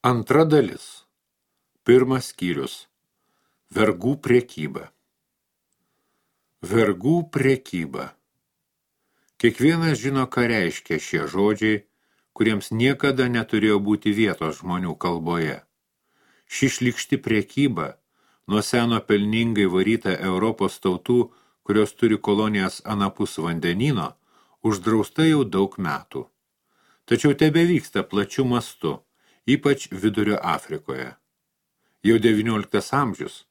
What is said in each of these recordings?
Antra dalis. Pirmas skyrius. Vergų prekyba. Vergų prekyba. Kiekvienas žino, ką reiškia šie žodžiai, kuriems niekada neturėjo būti vietos žmonių kalboje. Ši šlykšti prekyba, nuo seno pelningai varyta Europos tautų, kurios turi kolonijas anapus vandenyno, uždrausta jau daug metų. Tačiau tebevyksta plačiu mastu, ypač Vidurio Afrikoje. Jau 19 amžius,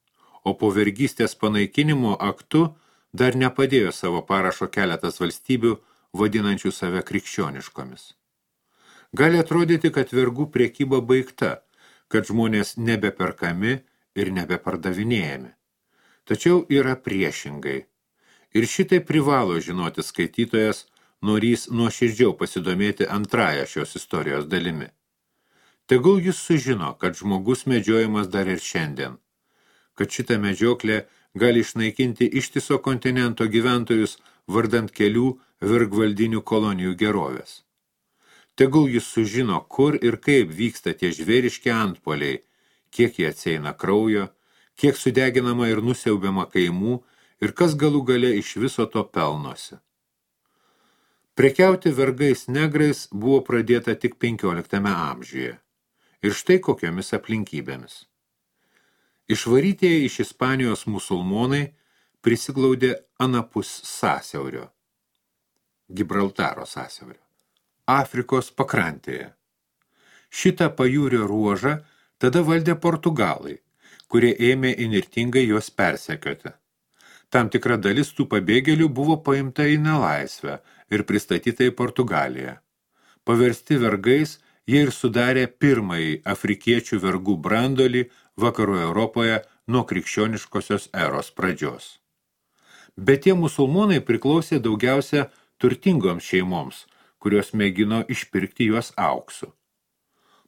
o po vergystės panaikinimo aktu dar nepadėjo savo parašo keletas valstybių, vadinančių save krikščioniškomis. Gali atrodyti, kad vergų prekyba baigta, kad žmonės nebeperkami ir nebepardavinėjami. Tačiau yra priešingai. Ir šitai privalo žinoti skaitytojas, norys nuoširdžiau pasidomėti antrąją šios istorijos dalimi. Tegul jis sužino, kad žmogus medžiojamas dar ir šiandien, kad šita medžioklė gali išnaikinti ištiso kontinento gyventojus vardant kelių vergvaldinių kolonijų gerovės. Tegul jis sužino, kur ir kaip vyksta tie žvėriški antpuoliai, kiek jie atsieina kraujo, kiek sudeginama ir nusiaubiama kaimų ir kas galų gale iš viso to pelnosi. Prekiauti vergais negrais buvo pradėta tik 15 amžiuje. Ir štai kokiomis aplinkybėmis. Išvarytieji iš Ispanijos musulmonai prisiglaudė anapus sąsiaurio, Gibraltaro sąsiaurio, Afrikos pakrantėje. Šitą pajūrio ruožą tada valdė Portugalai, kurie ėmė įnirtingai juos persekioti. Tam tikra dalis tų pabėgėlių buvo paimta į nelaisvę ir pristatyta į Portugaliją. Paversti vergais, jie ir sudarė pirmąjį afrikiečių vergų brandolį vakarų Europoje nuo krikščioniškosios eros pradžios. Bet tie musulmonai priklausė daugiausia turtingoms šeimoms, kurios mėgino išpirkti juos auksu.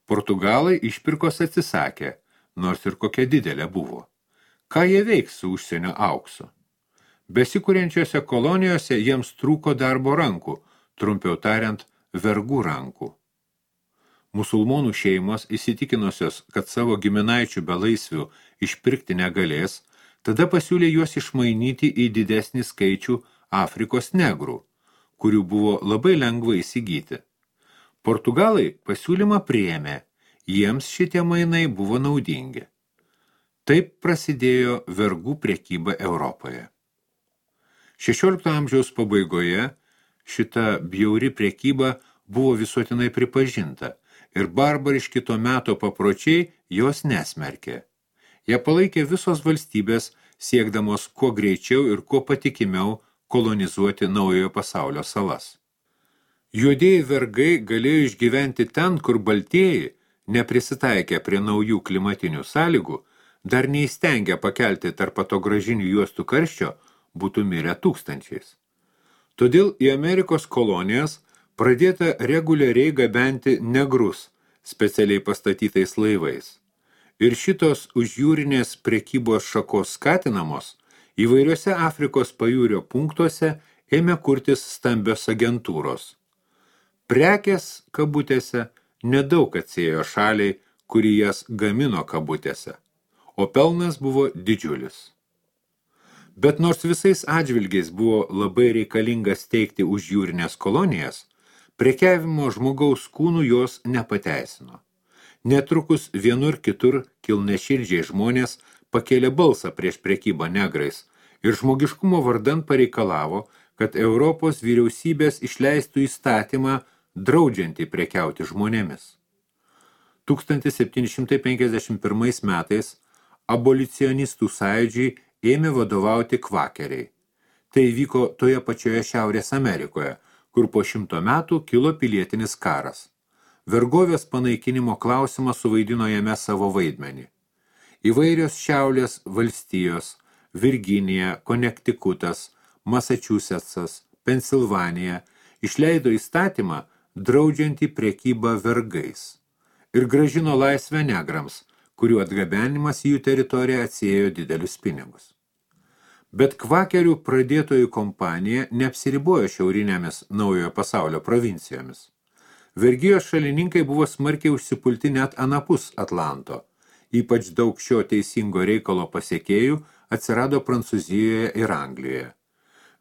Portugalai išpirkos atsisakė, nors ir kokia didelė buvo. Ką jie veiks su užsienio auksu? Besikuriančiose kolonijose jiems trūko darbo rankų, trumpiau tariant, vergų rankų. Musulmonų šeimos įsitikinusios, kad savo giminaičių belaisvių išpirkti negalės, tada pasiūlė juos išmainyti į didesnį skaičių Afrikos negrų, kurių buvo labai lengva įsigyti. Portugalai pasiūlymą priėmė, jiems šitie mainai buvo naudingi. Taip prasidėjo vergų prekyba Europoje. 16 amžiaus pabaigoje šita bjauri prekyba buvo visuotinai pripažinta ir barbariški to meto papročiai jos nesmerkė. Jie palaikė visos valstybės, siekdamos kuo greičiau ir kuo patikimiau kolonizuoti naujojo pasaulio salas. Juodieji vergai galėjo išgyventi ten, kur baltieji, neprisitaikę prie naujų klimatinių sąlygų, dar neįstengę pakelti tarp atogražinių juostų karščio, būtų mirę tūkstančiais. Todėl į Amerikos kolonijas pradėta reguliariai gabenti negrus specialiai pastatytais laivais. Ir šitos užjūrinės prekybos šakos skatinamos, įvairiuose Afrikos pajūrio punktuose ėmė kurtis stambios agentūros. Prekės kabutėse nedaug atsėjo šaliai, kuri jas gamino kabutėse, o pelnas buvo didžiulis. Bet nors visais atžvilgiais buvo labai reikalinga steigti užjūrinės kolonijas, prekiavimo žmogaus kūnų jos nepateisino. Netrukus vienur kitur kilneširdžiai žmonės pakėlė balsą prieš prekybą negrais ir žmogiškumo vardan pareikalavo, kad Europos vyriausybės išleistų įstatymą draudžiantį prekiauti žmonėmis. 1751 metais abolicionistų sąjūdžiai ėmė vadovauti kvakeriai. Tai vyko toje pačioje Šiaurės Amerikoje, kur po 100 metų kilo pilietinis karas. Vergovės panaikinimo klausimas suvaidino jame savo vaidmenį. Įvairios Šiaurės valstijos, Virginija, Konektikutas, Massachusettsas, Pensilvanija išleido įstatymą draudžiantį prekybą vergais ir grąžino laisvę negrams, kurių atgabenimas į jų teritoriją atsiėjo didelius pinigus. Bet kvakerių pradėtojų kompanija neapsiribojo šiaurinėmis naujojo pasaulio provincijomis. Vergijos šalininkai buvo smarkiai užsipulti net anapus Atlanto. Ypač daug šio teisingo reikalo pasiekėjų atsirado Prancūzijoje ir Anglijoje.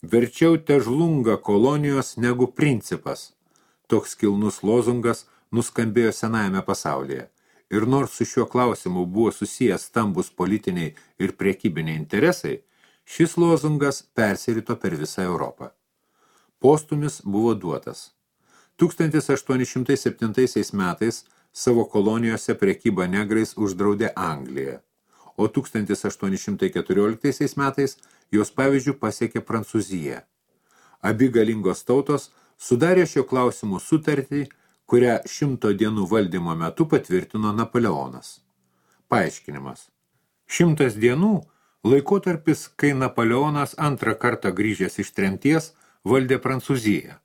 Verčiau težlunga kolonijos negu principas. Toks kilnus lozungas nuskambėjo senajame pasaulyje. Ir nors su šiuo klausimu buvo susijęs stambus politiniai ir prekybiniai interesai, šis lozungas persirito per visą Europą. Postumis buvo duotas. 1807 metais savo kolonijose prekybą negrais uždraudė Anglija, o 1814 metais jos pavyzdžių pasiekė Prancūzija. Abi galingos tautos sudarė šio klausimų sutartį, kurią 100 dienų valdymo metu patvirtino Napoleonas. Paaiškinimas. 100 dienų laikotarpis, kai Napoleonas antrą kartą grįžęs iš tremties valdė Prancūziją.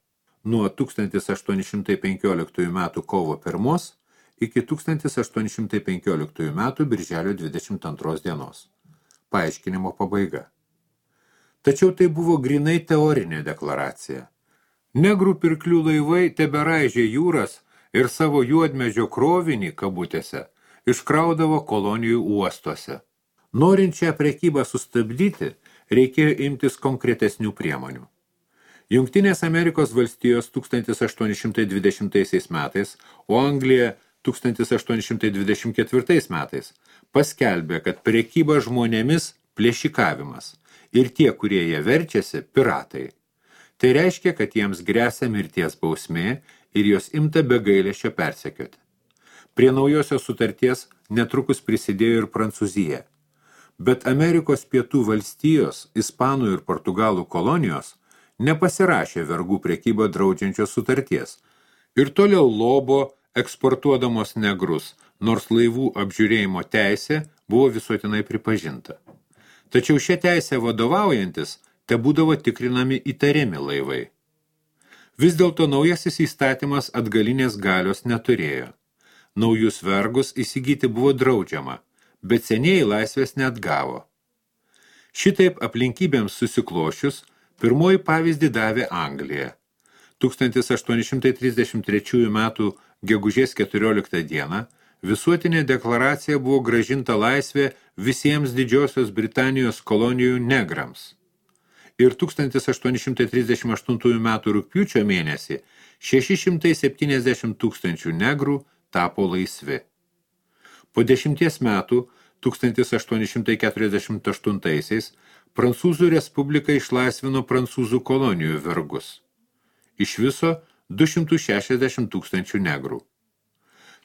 Nuo 1815 metų kovo 1 iki 1815 metų birželio 22 dienos. Paaiškinimo pabaiga. Tačiau tai buvo grinai teorinė deklaracija. Negrų pirklių laivai teberaižė jūras ir savo juodmedžio krovinį, kabutėse, iškraudavo kolonijų uostuose. Norint šią prekybą sustabdyti, reikėjo imtis konkretesnių priemonių. Jungtinės Amerikos valstijos 1820 metais, o Anglija 1824 metais paskelbė, kad prekyba žmonėmis plėšikavimas ir tie, kurie jie verčiasi, piratai. Tai reiškia, kad jiems gresia mirties bausmė ir jos imta be gailesčio persekioti. Prie naujosios sutarties netrukus prisidėjo ir Prancūzija. Bet Amerikos pietų valstijos, Ispanų ir Portugalų kolonijos nepasirašė vergų prekybą draudžiančios sutarties ir toliau lobo eksportuodamos negrus, nors laivų apžiūrėjimo teisė buvo visuotinai pripažinta. Tačiau šią teisę vadovaujantis tebūdavo tikrinami įtariami laivai. Vis dėlto naujasis įstatymas atgalinės galios neturėjo. Naujus vergus įsigyti buvo draudžiama, bet senieji laisvės neatgavo. Šitaip aplinkybėms susiklošius, pirmoji pavyzdį davė Anglija. 1833 metų gegužės 14 dieną visuotinė deklaracija buvo grąžinta laisvė visiems Didžiosios Britanijos kolonijų negrams. Ir 1838 metų rugpjūčio mėnesį 670 tūkstančių negrų tapo laisvi. Po 10 metų, 1848 Prancūzų Respublika išlaisvino prancūzų kolonijų vergus. Iš viso 260 tūkstančių negrų.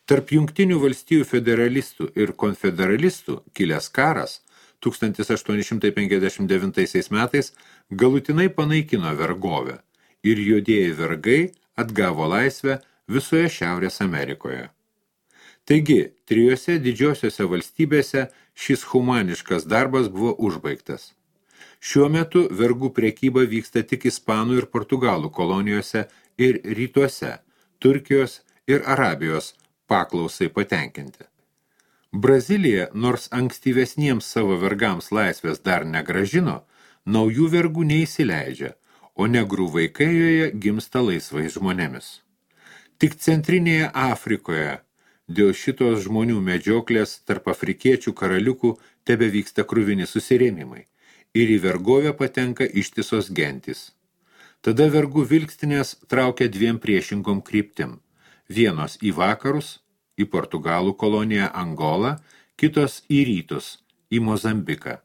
Tarp Jungtinių valstijų federalistų ir konfederalistų kilęs karas 1859 metais galutinai panaikino vergovę ir juodieji vergai atgavo laisvę visoje Šiaurės Amerikoje. Taigi, 3 didžiosiose valstybėse šis humaniškas darbas buvo užbaigtas. Šiuo metu vergų prekyba vyksta tik Ispanų ir Portugalų kolonijose ir rytuose, Turkijos ir Arabijos paklausai patenkinti. Brazilija, nors ankstyvesniems savo vergams laisvės dar negrąžino, naujų vergų neįsileidžia, o negrų vaikai joje gimsta laisvais žmonėmis. Tik centrinėje Afrikoje dėl šitos žmonių medžioklės tarp afrikiečių karaliukų tebevyksta kruvini susirėmimai ir į vergovę patenka ištisos gentys. Tada vergų vilkstinės traukia 2 priešingom kryptim. Vienos į vakarus, į Portugalų koloniją Angolą, kitos į rytus, į Mozambiką.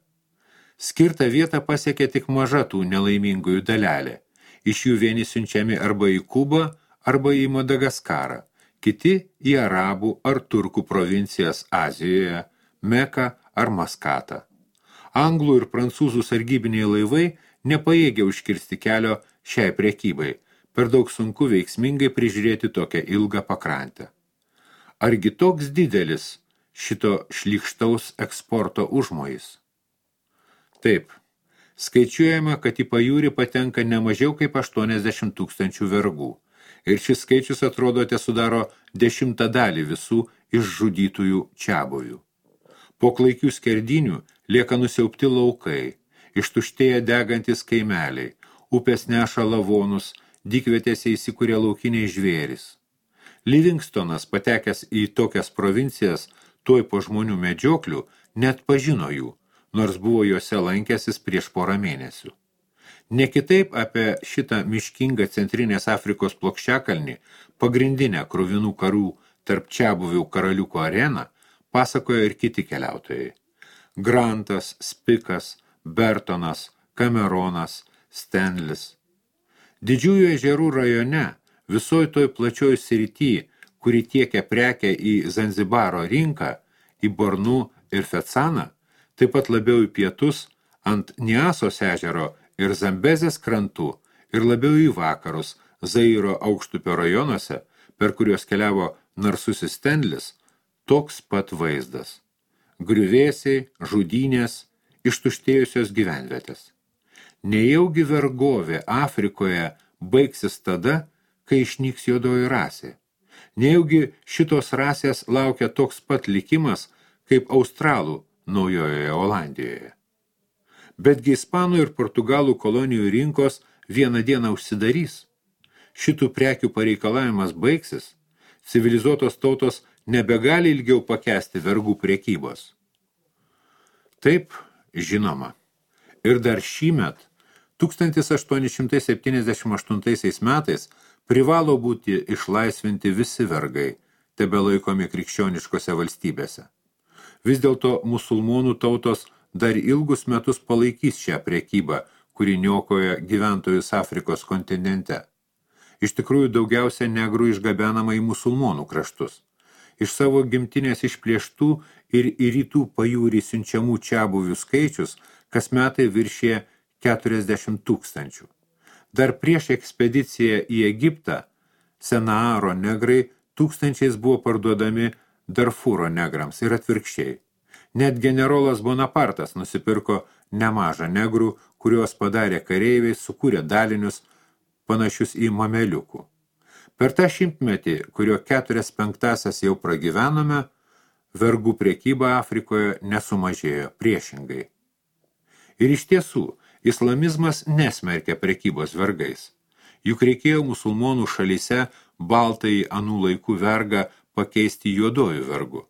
Skirtą vietą pasiekia tik maža tų nelaimingųjų dalelė. Iš jų vieni siunčiami arba į Kubą, arba į Madagaskarą, kiti į Arabų ar Turkų provincijas Azijoje, Meką ar Maskatą. Anglų ir prancūzų sargybiniai laivai nepajėgia užkirsti kelio šiai prekybai, per daug sunku veiksmingai prižiūrėti tokią ilgą pakrantę. Argi toks didelis šito šlykštaus eksporto užmojis? Taip, skaičiuojama, kad į pajūrį patenka ne mažiau kaip 80 tūkstančių vergų, ir šis skaičius atrodo sudaro 10 dalį visų išžudytųjų čiabuvių. Po klaikių skerdinių lieka nusiaubti laukai, ištuštėja degantis kaimeliai, upės neša lavonus, dykvietėse įsikūrė laukiniai žvėrys. Livingstonas, patekęs į tokias provincijas tuoj po žmonių medžioklių, net pažino jų, nors buvo juose lankęsis prieš porą mėnesių. Ne kitaip apie šitą miškingą centrinės Afrikos plokščiakalnį, pagrindinę kruvinų karų tarp čiabuvių karaliukų areną, pasakojo ir kiti keliautojai. Grantas, Spikas, Bertonas, Cameronas, Stanlis. Didžiųjų ežerų rajone, visoj toj plačioj srity, kuri tiekia prekę į Zanzibaro rinką, į Bornu ir Fetsaną, taip pat labiau į pietus, ant Niasos ežero ir Zambezės krantų, ir labiau į vakarus, Zairo aukštupio rajonuose, per kuriuos keliavo narsusis Stanlis, toks pat vaizdas. Griuvėsiai, žudynės, ištuštėjusios gyvenvietės. Nejaugi vergovė Afrikoje baigsis tada, kai išnyks juodoji rasė. Nejaugi šitos rasės laukia toks pat likimas, kaip australų Naujojoje Olandijoje. Betgi ispanų ir portugalų kolonijų rinkos vieną dieną užsidarys. Šitų prekių pareikalavimas baigsis, civilizuotos tautos nebegali ilgiau pakęsti vergų prekybos. Taip, žinoma. Ir dar šįmet, 1878 metais, privalo būti išlaisvinti visi vergai, tebelaikomi krikščioniškose valstybėse. Vis dėlto musulmonų tautos dar ilgus metus palaikys šią prekybą, kuri niokoja gyventojus Afrikos kontinente. Iš tikrųjų daugiausia negrų išgabenama į musulmonų kraštus. Iš savo gimtinės išplėštų ir į rytų pajūrį siunčiamų čiabuvių skaičius kas metai viršė 40 000. Dar prieš ekspediciją į Egiptą Senaaro negrai tūkstančiais buvo parduodami Darfūro negrams ir atvirkščiai. Net generolas Bonapartas nusipirko nemažą negrų, kuriuos padarė kareiviai, sukūrė dalinius panašius į mameliukų. Per tą šimtmetį, kurio 4/5 jau pragyvenome, vergų prekyba Afrikoje nesumažėjo, priešingai. Ir iš tiesų, islamizmas nesmerkia prekybos vergais. Juk reikėjo musulmonų šalyse baltąjį anų laikų vergą pakeisti juodojų vergu.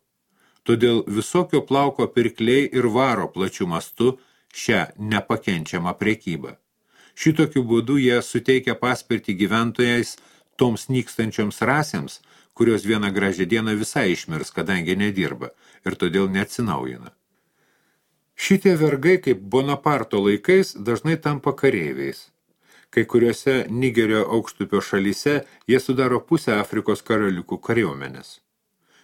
Todėl visokio plauko pirkliai ir varo plačiu mastu šią nepakenčiamą prekybą. Šitokiu būdu jie suteikia paspirtį gyventojais toms nykstančioms rasėms, kurios vieną gražią dieną visai išmirs, kadangi nedirba ir todėl neatsinaujina. Šitie vergai, kaip Bonaparto laikais, dažnai tampa kareiviais. Kai kuriuose Nigerio aukštupio šalyse jie sudaro pusę Afrikos karaliukų kariuomenės.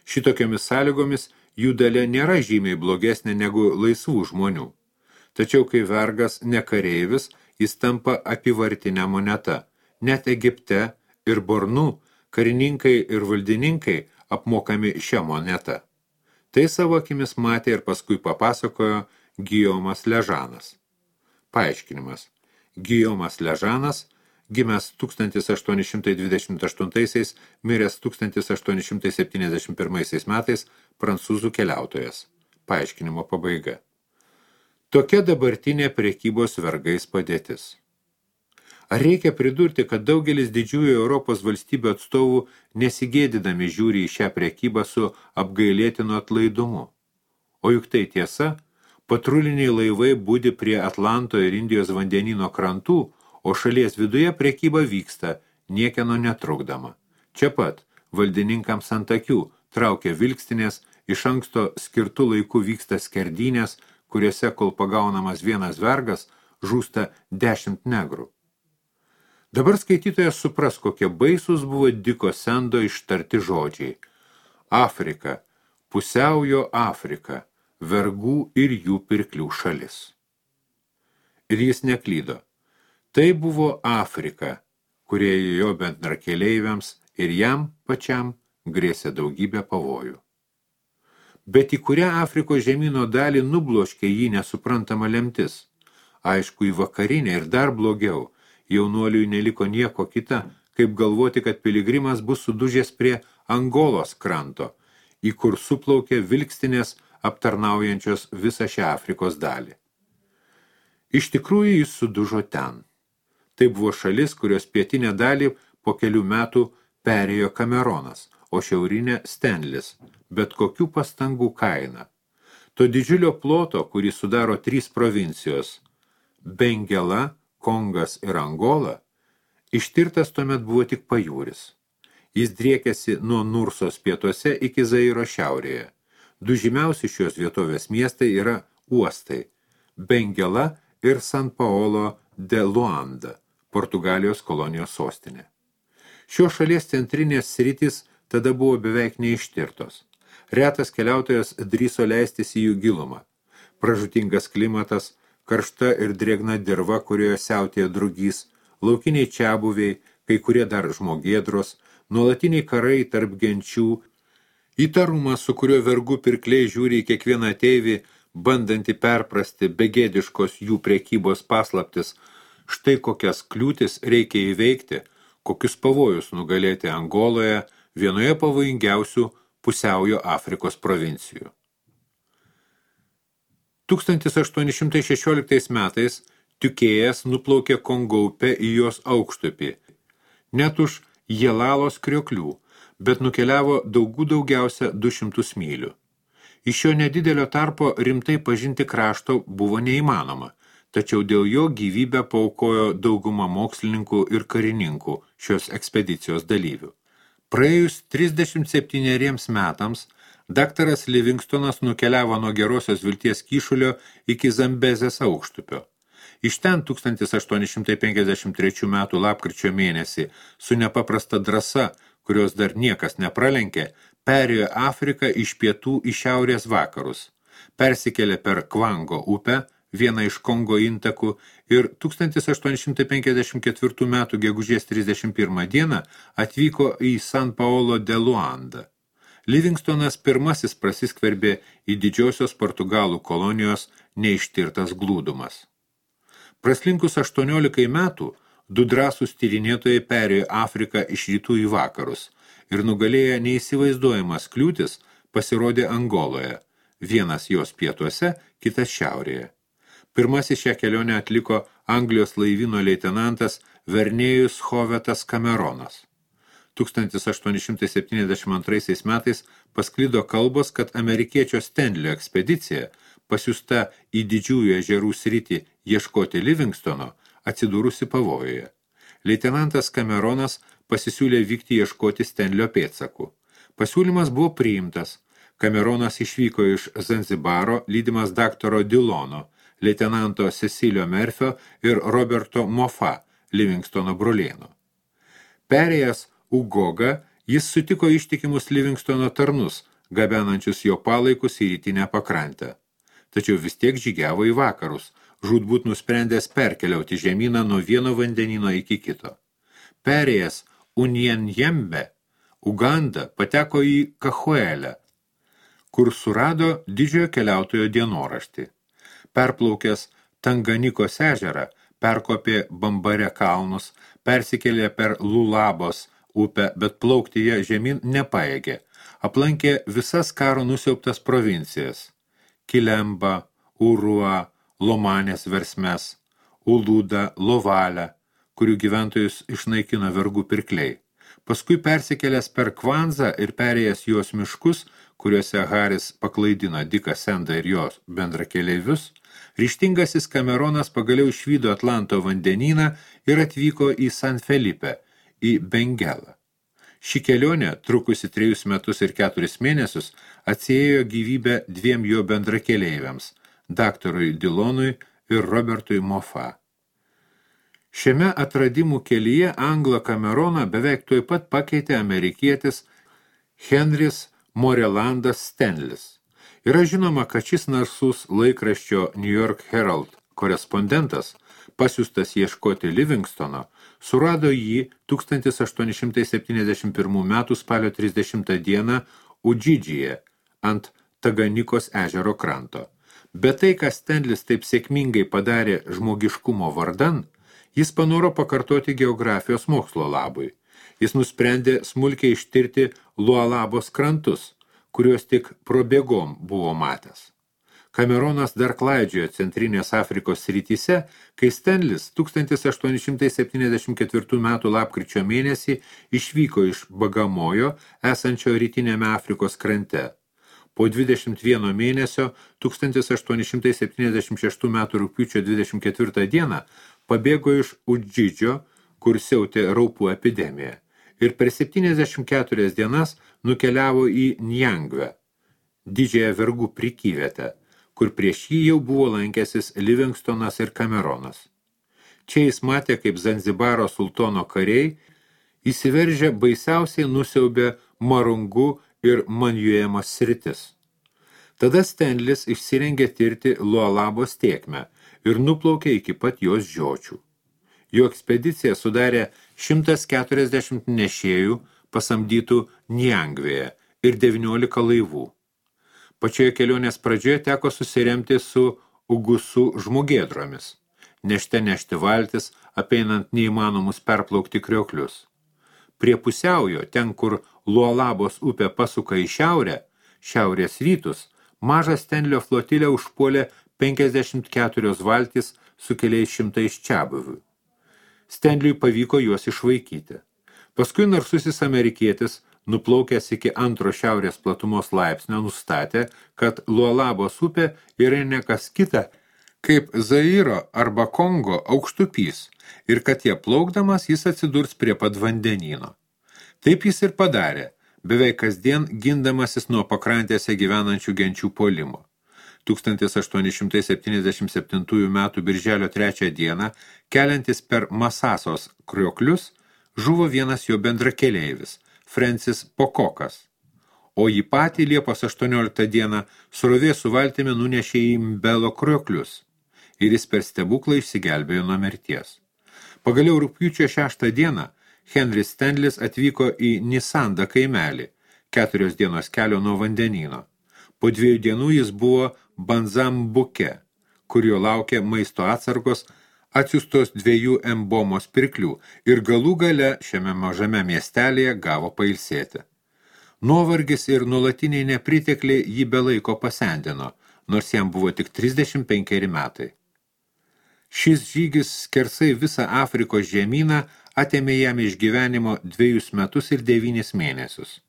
Šitokiamis sąlygomis jų dalia nėra žymiai blogesnė negu laisvų žmonių. Tačiau kai vergas ne kareivis, jis tampa apyvartinė moneta. Net Egipte ir Bornu karininkai ir valdininkai apmokami šią monetą. Tai savo akimis matė ir paskui papasakojo Gijomas Ležanas. Paaiškinimas. Gijomas Ležanas, gimęs 1828, miręs 1871 metais, prancūzų keliautojas. Paaiškinimo pabaiga. Tokia dabartinė prekybos vergais padėtis. Ar reikia pridurti, kad daugelis didžiųjų Europos valstybių atstovų nesigėdydami žiūri į šią prekybą su apgailėtinu atlaidumu? O juk tai tiesa, patruliniai laivai budi prie Atlanto ir Indijos vandenyno krantų, o šalies viduje prekyba vyksta, niekieno netrukdama. Čia pat valdininkams ant akių traukia vilkstinės, iš anksto skirtų laikų vyksta skerdynės, kuriuose, kol pagaunamas vienas vergas, žūsta 10 negrų. Dabar skaitytojas supras, kokie baisūs buvo Diko Sendo ištarti žodžiai. Afrika, pusiaujo Afrika, vergų ir jų pirklių šalis. Ir jis neklydo. Tai buvo Afrika, kurie jo bendrakeleiviams ir jam pačiam grėsė daugybę pavojų. Bet į kurią Afrikos žemyno dalį nubloškė jį nesuprantama lemtis? Aišku, į vakarinę ir dar blogiau. Jaunuoliui neliko nieko kita, kaip galvoti, kad piligrimas bus sudužęs prie Angolos kranto, į kur suplaukė vilkstinės aptarnaujančios visą šią Afrikos dalį. Iš tikrųjų jis sudužo ten. Tai buvo šalis, kurios pietinę dalį po kelių metų perėjo Cameronas, o šiaurinė Stenlis, bet kokių pastangų kaina. To didžiulio ploto, kurį sudaro 3 provincijos – Bengela, Kongas ir Angola, ištirtas tuomet buvo tik pajūris. Jis driekėsi nuo Nursos pietuose iki Zairo šiaurėje. 2 žymiausi šios vietovės miestai yra uostai – Bengela ir San Paolo de Luanda, Portugalijos kolonijos sostinė. Šios šalies centrinės sritys tada buvo beveik neištirtos. Retas keliautojas drįso leistis į jų gilumą. Pražūtingas klimatas, karšta ir drėgna dirva, kurioje siautėja drugys, laukiniai čiabuviai, kai kurie dar žmogėdros, nuolatiniai karai tarp genčių, įtarumas, su kuriuo vergų pirkliai žiūri į kiekvieną ateivį, bandantį perprasti begėdiškos jų prekybos paslaptis, štai kokias kliūtis reikia įveikti, kokius pavojus nugalėti Angoloje, vienoje pavojingiausių pusiaujo Afrikos provincijų. 1816 metais Tiukėjas nuplaukė Kongo upę į jos aukštupį, net už Jelalos krioklių, bet nukeliavo daugiausia 200 mylių. Iš šio nedidelio tarpo rimtai pažinti krašto buvo neįmanoma, tačiau dėl jo gyvybę paaukojo dauguma mokslininkų ir karininkų šios ekspedicijos dalyvių. Praėjus 37 metams, daktaras Livingstonas nukeliavo nuo Gerosios Vilties kyšulio iki Zambezės aukštupio. Iš ten 1853 metų lapkričio mėnesį su nepaprasta drąsa, kurios dar niekas nepralenkė, perėjo Afriką iš pietų į šiaurės vakarus, persikėlė per Kvango upę, vieną iš Kongo intakų, ir 1854 metų gegužės 31 dieną atvyko į San Paolo de Luanda. Livingstonas pirmasis prasiskverbė į didžiosios Portugalų kolonijos neištirtas glūdumas. Praslinkus 18 metų, 2 drąsūs tyrinėtojai perėjo Afriką iš rytų į vakarus ir nugalėję neįsivaizduojamas kliūtis pasirodė Angoloje, vienas jos pietuose, kitas šiaurėje. Pirmasis šią kelionę atliko Anglijos laivyno leitenantas Vernėjus Hovetas Cameronas. 1872 metais pasklido kalbos, kad amerikiečio Stenlio ekspedicija, pasiųsta į didžiųjų ežerų sritį ieškoti Livingstono, atsidūrusi pavojuje. Leitenantas Cameronas pasisiūlė vykti ieškoti Stenlio pėdsakų. Pasiūlymas buvo priimtas. Cameronas išvyko iš Zanzibaro, lydimas daktaro Dilono, leitenanto Cecilio Merfio ir Roberto Mofa, Livingstono brolėno. Perėjęs Ugogą, jis sutiko ištikimus Livingstono tarnus, gabenančius jo palaikus į rytinę pakrantę. Tačiau vis tiek žygiavo į vakarus, žūtbūt nusprendęs perkeliauti žemyną nuo vieno vandenino iki kito. Perėjęs Unyenjembe, Uganda pateko į Kahuelę, kur surado didžiojo keliautojo dienoraštį. Perplaukęs Tanganikos ežerą, perkopė Bambare kalnus, persikėlė per Lulabos upę, bet plaukti ją žemyn nepaėgė. Aplankė visas karo nusiaubtas provincijas – Kilemba, Urua, Lomanės versmes, Uluda, Lovalę, kurių gyventojus išnaikino vergų pirkliai. Paskui persikėlęs per Kvanzą ir perėjęs jos miškus, kuriuose Haris paklaidino Diką Sendą ir jos bendrakeleivius, ryžtingasis Cameronas pagaliau išvydo Atlanto vandenyną ir atvyko į San Felipe, į Bengelą. Ši kelionė, trukusi 3 metus ir 4 mėnesius, atsiėjo gyvybę 2 jo bendrakeleiviams – daktarui Dilonui ir Robertui Mofa. Šiame atradimų kelyje Anglą Cameroną beveik tuoj pat pakeitė amerikietis Henris Morelandas Stenlis. Yra žinoma, kad šis narsus laikraščio New York Herald korespondentas, pasiųstas ieškoti Livingstono, surado jį 1871 metų spalio 30 dieną Udžidžyje ant Taganikos ežero kranto. Bet tai, ką Stenlis taip sėkmingai padarė žmogiškumo vardan, jis panoro pakartoti geografijos mokslo labui. Jis nusprendė smulkiai ištirti Lualabos krantus, kuriuos tik probėgom buvo matęs. Kameronas dar klaidžiojo centrinės Afrikos srityse, kai Stanlis 1874 m. lapkričio mėnesį išvyko iš Bagamojo, esančio rytinėme Afrikos krante. Po 21 mėnesio 1876 m. rugpjūčio 24 dieną pabėgo iš Udžidžio, kur siautė raupų epidemija, ir per 74 dienas nukeliavo į Njangvę, didžiąją vergų prikyvietę, kur prieš jį jau buvo lankęsis Livingstonas ir Kameronas. Čia jis matė, kaip Zanzibaro sultono kariai įsiveržę baisiausiai nusiaubė Marungų ir Manjuemos sritis. Tada Stanlis išsirengė tirti Lualabos tėkmę ir nuplaukė iki pat jos žiočių. Jo ekspedicija sudarė 140 nešėjų pasamdytų Njangvėje ir 19 laivų. Pačioje kelionės pradžioje teko susiremti su Ugusų žmogėdromis, nešti valtis, apeinant neįmanomus perplaukti krioklius. Prie pusiaujo, ten, kur Lualabos upė pasuka į šiaurę, šiaurės rytus, mažą Stanlio flotilę užpuolė 54 valtis su keliais šimtais čiabuvių. Stanliui pavyko juos išvaikyti. Paskui narsusis amerikietis, nuplaukęs iki antro šiaurės platumos laipsnio, nustatė, kad Lualabos upė yra ne kas kita, kaip Zairo arba Kongo aukštupys ir kad jie plaukdamas jis atsidurs prie pat vandenyno. Taip jis ir padarė, beveik kasdien gindamasis nuo pakrantėse gyvenančių genčių puolimo. 1877 m. birželio 3 dieną, keliantis per Masasos krioklius, žuvo vienas jo bendrakeleivis, Francis Pokokas, o jį patį Liepos 18 dieną srovė su valtimi nunešė į Mbelo krioklius ir jis per stebuklą išsigelbėjo nuo mirties. Pagaliau rugpjūčio 6 dieną Henris Stanlis atvyko į Nisandą kaimelį, 4 dienos kelio nuo vandenyno. Po 2 dienų jis buvo Banzambuke, kur jo laukė maisto atsargos atsiustos 2 embomos pirklių ir galų gale šiame mažame miestelėje gavo pailsėti. Nuovargis ir nuolatiniai nepritekliai jį be laiko pasendino, nors jam buvo tik 35 metai. Šis žygis skersai visą Afrikos žemyną atėmė jam iš gyvenimo 2 metus ir 9 mėnesius.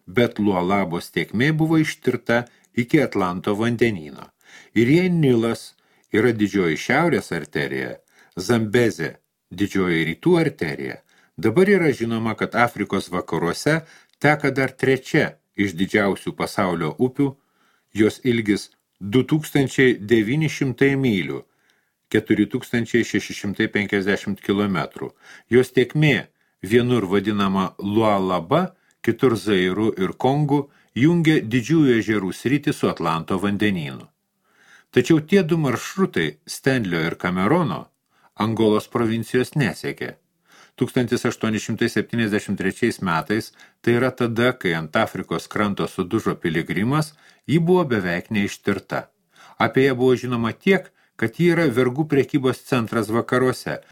Bet Lualabos tėkmė buvo ištirta iki Atlanto vandenyno. Ir jei Nilas yra didžioji šiaurės arterija, Zambezė didžioji rytų arterija, dabar yra žinoma, kad Afrikos vakaruose teka dar 3 iš didžiausių pasaulio upių, jos ilgis 2900 mylių, 4650 km. Jos tėkmė, vienur vadinama Lualaba, kitur Zairu ir Kongu, jungia didžiųjų ežerų sritį su Atlanto vandenynu. Tačiau tie 2 maršrutai, Stanlio ir Kamerono, Angolos provincijos nesiekė. 1873 metais, tai yra tada, kai ant Afrikos kranto sudužo piligrimas, ji buvo beveik neištirta. Apie ją buvo žinoma tiek, kad ji yra vergų prekybos centras vakaruose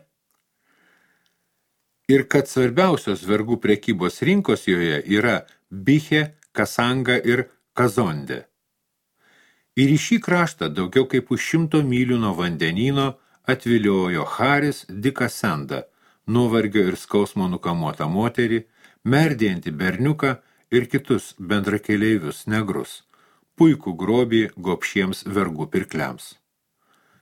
ir kad svarbiausios vergų prekybos rinkos joje yra Biche, Kasanga ir Kazonde. Ir į šį kraštą daugiau kaip už 100 mylių nuo vandenyno atviliojo Haris Dikasenda, nuovargio ir skausmo nukamuotą moterį, merdėjantį berniuką ir kitus bendrakeleivius negrus, puikų grobį gobšiems vergų pirkliams.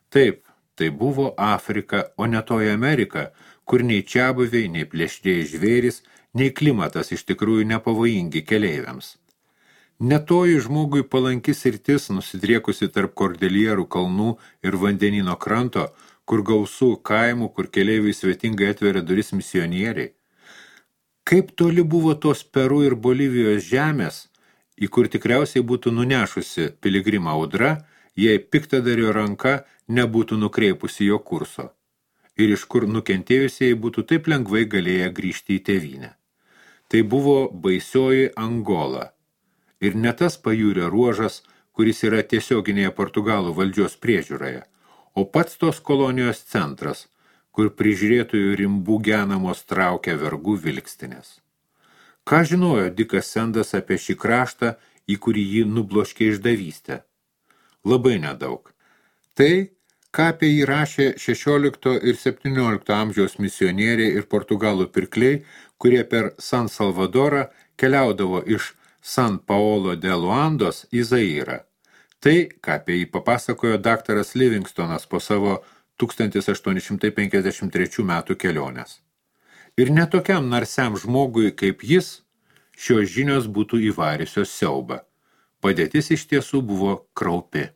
Taip, tai buvo Afrika, o ne toji Amerika, kur nei čiabuviai, nei plėšrieji žvėrys, nei klimatas iš tikrųjų nepavojingi keleiviams. Netoji žmogui palankis sritis, nusidriekusi tarp Kordelierų kalnų ir vandenino kranto, kur gausų kaimų, kur keleiviai svetingai atveria duris misionieriai. Kaip toli buvo tos Peru ir Bolivijos žemės, į kur tikriausiai būtų nunešusi piligrimą audra, jei piktadario ranka nebūtų nukreipusi jo kurso, ir iš kur nukentėjusieji būtų taip lengvai galėję grįžti į tėvynę. Tai buvo baisioji Angola, ir ne tas pajūrio ruožas, kuris yra tiesioginėje Portugalų valdžios priežiūroje, o pats tos kolonijos centras, kur prižiūrėtojų rimbų genamos traukia vergų vilkstinės. Ką žinojo Dikas Sendas apie šį kraštą, į kurį jį nubloškė išdavystę? labai nedaug. Tai, ką apie jį rašė 16 ir 17 amžiaus misionieriai ir portugalų pirkliai, kurie per San Salvadorą keliaudavo iš San Paolo de Luandos į Zairą. Tai, ką apie jį papasakojo daktaras Livingstonas po savo 1853 metų kelionės. Ir netokiam narsiam žmogui kaip jis, šios žinios būtų įvarysios siaubą. Padėtis iš tiesų buvo kraupi.